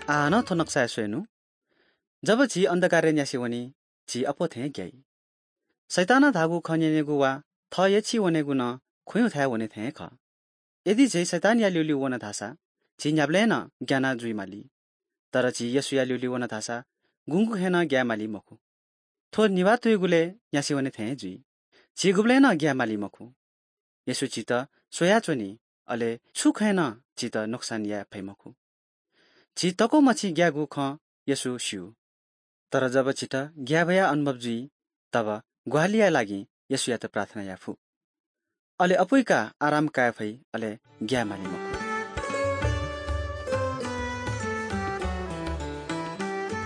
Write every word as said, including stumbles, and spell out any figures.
आः नं थ्व नक्साय् स्वयेनु। जब झी अन्धकारय् न्यासि वनी, झी अप्वः थें ग्याइ। शैतानं धाःगु खँ न्यनेगु वा थः यछि वनेगु नं खुँयु थाय् वने थें खः। यदि झी शैतानया ल्यूल्यू वन धाःसा झी न्ह्याबलें नं ग्याना जुइ माली। तर झी येशूया ल्यूल्यू वन धाःसा गुंगु खँय् नं ग्याये माली मखु। थ्व निभाः तुइगुलय् न्यासि वने थें जुइ। झी गुबलें नं ग्याये माली मखु। येशू झीत स्वयाच्वनी, अले छु खँय् नं झीत नोक्सान याये फइ मखु। झी तक्व मछि ग्याःगु खँ येशू स्यू। तर जब झीत ग्याःभया अनुभव जुइ, तब ग्वाहालिया लागि येशूयात प्रार्थना याये फु। अले अपुइका आराम काये फइ, अले ग्याये माली मखु।